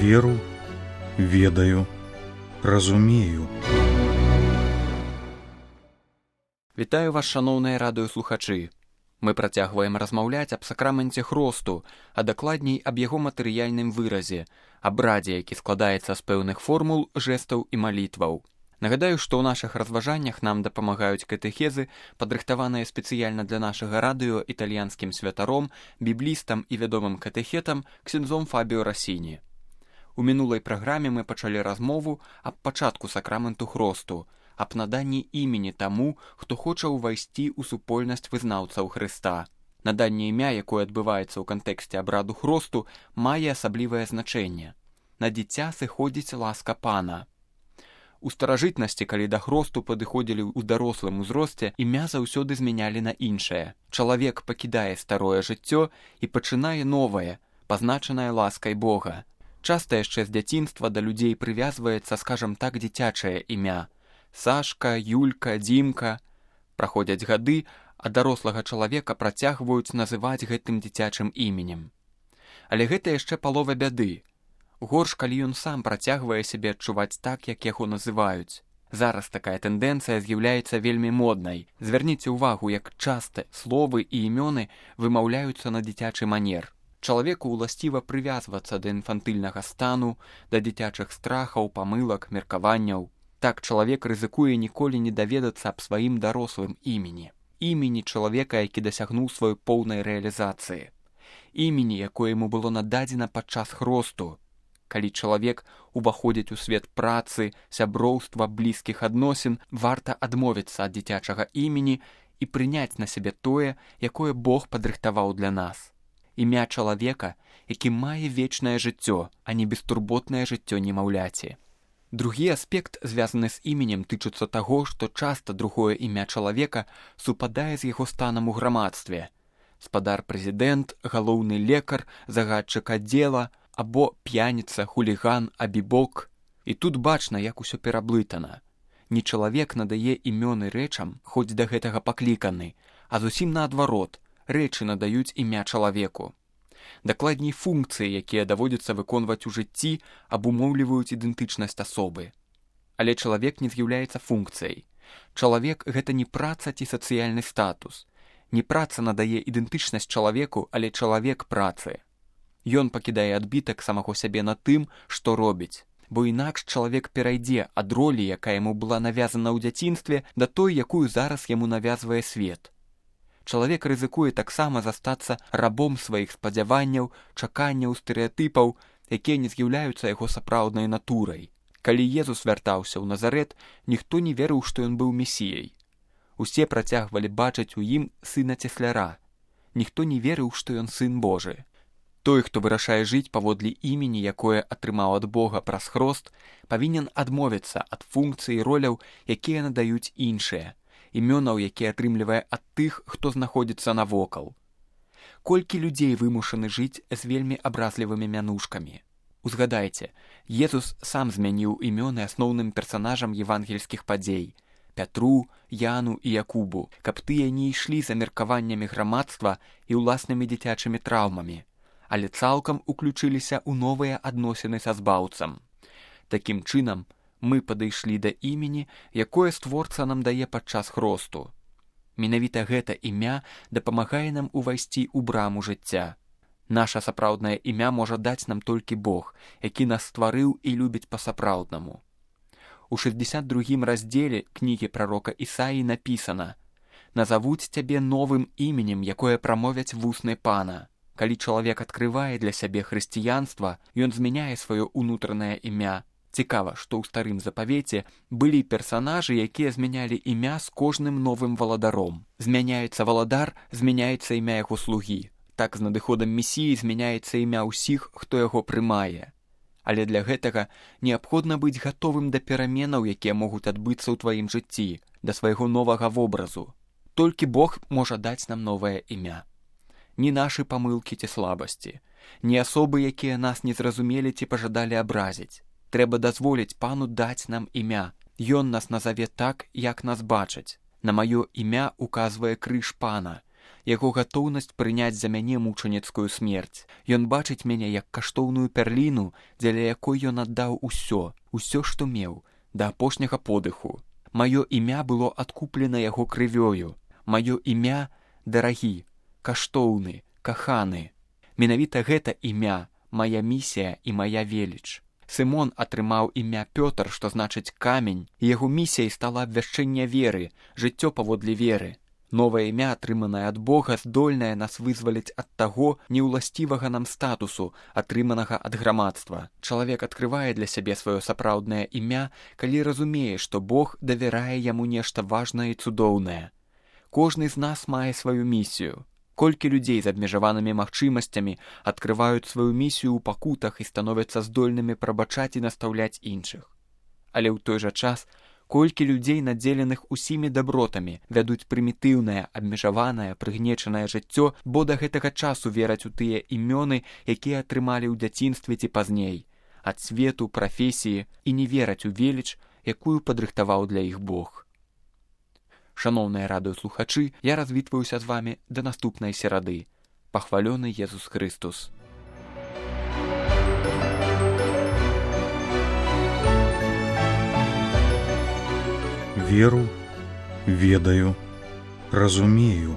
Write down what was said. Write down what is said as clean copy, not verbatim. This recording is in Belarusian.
веру, ведаю, разумею. Вітаю вас, шаноўныя радыёслухачы. Мы працягваем размаўляць аб сакраменце хросту, а дакладней аб яго матэрыяльным выразе, абрадзе, які складаецца з пэўных формул, жэстаў і малітваў. Нагадаю, што ў нашых разважаннях нам дапамагаюць катэхезы, падрыхтаваныя спецыяльна для нашага радыё італьянскім святаром, біблістам і вядомым катэхетам ксяндзом Фабіо Расіні. У мінулай праграме мы пачалі размову аб пачатку сакраменту хросту, аб наданні імені таму, хто хоча ўвайсці ў супольнасць вызнаўцаў Хрыста. Наданне імя, якое адбываецца ў кантэксце абраду хросту, мае асаблівае значэнне. На дзіця сыходзіць ласка Пана. У старажытнасці, калі да хросту падыходзілі ў дарослым узросце, імя заўсёды змянялі на іншае. Чалавек пакідае старое жыццё і пачынае новае, пазначанае ласкай Бога. Часта яшчэ з дзяцінства да людзей прывязваецца, скажам так, дзіцячае імя. Сашка, Юлька, Дзімка. Праходзяць гады, а дарослага чалавека працягваюць называць гэтым дзіцячым іменем. Але гэта яшчэ палова бяды. Горш, калі ён сам працягвае сябе адчуваць так, як яго называюць. Зараз такая тэндэнцыя з'яўляецца вельмі моднай. Звярніце ўвагу, як часта словы і імёны вымаўляюцца на дзіцячы манер. Чалавеку ўласціва прывязвацца да інфантыльнага стану, да дзіцячых страхаў, памылак, меркаванняў. Так чалавек рызыкуе ніколі не даведацца аб сваім дарослым імені. Імені чалавека, які дасягнуў сваёй поўнай рэалізацыі. Імені, якое яму было нададзена падчас хросту. Калі чалавек уваходзіць у свет працы, сяброўства, блізкіх адносін, варта адмовіцца ад дзіцячага імені і прыняць на сябе тое, якое Бог падрыхтаваў для нас. Імя чалавека, які мае вечнае жыццё, а не бестурботнае жыццё немаўляці. Другі аспект, звязаны з іменем, тычыцца таго, што часта другое імя чалавека супадае з яго станам у грамадстве. Спадар-прэзідэнт, галоўны лекар, загадчык аддзела, або п'яніца, хуліган, абібок. І тут бачна, як усё пераблытана. Не чалавек надае імёны рэчам, хоць да гэтага пакліканы, а зусім наадварот, рэчы надаюць імя чалавеку. Дакладней, функцыі, якія даводзіцца выконваць у жыцці, абумоўліваюць ідэнтычнасць асобы. Але чалавек не з'яўляецца функцыяй. Чалавек — гэта не праца ці сацыяльны статус. Не праца надае ідэнтычнасць чалавеку, але чалавек працы. Ён пакідае адбітак самого сябе на тым, што робіць. Бо інакш чалавек перайдзе ад ролі, якая яму была навязана ў дзяцінстве, да той, якую зараз яму навязвае свет. Чалавек рызыкуе таксама застацца рабом сваіх спадзяванняў, чаканняў, стэрэатыпаў, якія не з'яўляюцца яго сапраўднай натурай. Калі Езус вяртаўся ў Назарэт, ніхто не верыў, што ён быў месіяй. Усе працягвалі бачыць у ім сына цесляра. Ніхто не верыў, што ён сын Божы. Той, хто вырашае жыць паводле імені, якое атрымаў ад Бога праз хрост, павінен адмовіцца ад функцый і роляў, якія надаюць іншыя, імёнаў, якія атрымлівае ад тых, хто знаходзіцца навокал. Колькі людзей вымушаны жыць з вельмі абразлівымі мянушкамі. Узгадайце, Езус сам змяніў імёны асноўным персанажам евангельскіх падзей — Пятру, Яну і Якубу, каб тыя не ішлі за меркаваннямі грамадства і ўласнымі дзіцячымі траўмамі, але цалкам уключыліся ў новыя адносіны са збаўцам. Такім чынам, мы падышлі да імені, якое створца нам дае падчас хросту. Менавіта гэта імя дапамагае нам увайсці ў браму жыцця. Наша сапраўднае імя можа даць нам толькі Бог, які нас стварыў і любіць па-сапраўднаму. У 62-м раздзеле кнігі прарока Ісаі напісана: «Назавуць цябе новым іменем, якое прамовяць вусны Пана». Калі чалавек адкрывае для сябе хрысціянства, ён змяняе сваё ўнутранае імя. Цікава, што ў старым запавеце былі персанажы, якія змянялі імя з кожным новым валадаром. Змяняецца валадар, змяняецца імя яго слугі. Так з надыходам месіі змяняецца імя ўсіх, хто яго прымае. Але для гэтага неабходна быць гатовым да пераменаў, якія могуць адбыцца ў тваім жыцці, да свайго новага вобразу. Толькі Бог можа даць нам новае імя. Ні нашы памылкі ці слабасці, ні асобы, якія нас не зразумелі ці пажадалі абразіць. Трэба дазволіць Пану даць нам імя. Ён нас назаве так, як нас бачаць. На маё імя указвае крыж Пана. яго гатоўнасць прыняць за мяне мучаніцкую смерць. Ён бачыць мяне як каштоўную пярліну, дзеля якой ён аддаў усё, што меў, да апошняга подыху. Маё імя было адкуплена яго крывёю. Маё імя дарагі, каштоўны, каханы. Менавіта гэта імя, мая місія і мая веліч. Сымон атрымаў імя Пётр, што значыць камень, і яго місіяй стала абвяшчэнне веры, жыццё паводле веры. Новае імя, атрыманае ад Бога, здольнае нас вызваліць ад таго неўласцівага нам статусу, атрыманага ад грамадства. Чалавек адкрывае для сябе сваё сапраўднае імя, калі разумее, што Бог давярае яму нешта важнае і цудоўнае. Кожны з нас мае сваю місію. Колькі людзей з абмежаванымі магчымасцямі адкрываюць сваю місію ў пакутах і становяцца здольнымі прабачаць і настаўляць іншых. Але ў той жа час, колькі людзей, надзеленых усімі дабротамі, вядуць прымітыўнае, абмежаванае, прыгнечанае жыццё, бо да гэтага часу вераць у тыя імёны, якія атрымалі ў дзяцінстве ці пазней, ад свету, прафесіі, і не вераць у веліч, якую падрыхтаваў для іх Бог. Шаноўныя радыёслухачы, я развітваюся з вамі да наступнай серады. Пахвалёны Езус Христус! Веру, ведаю, разумею.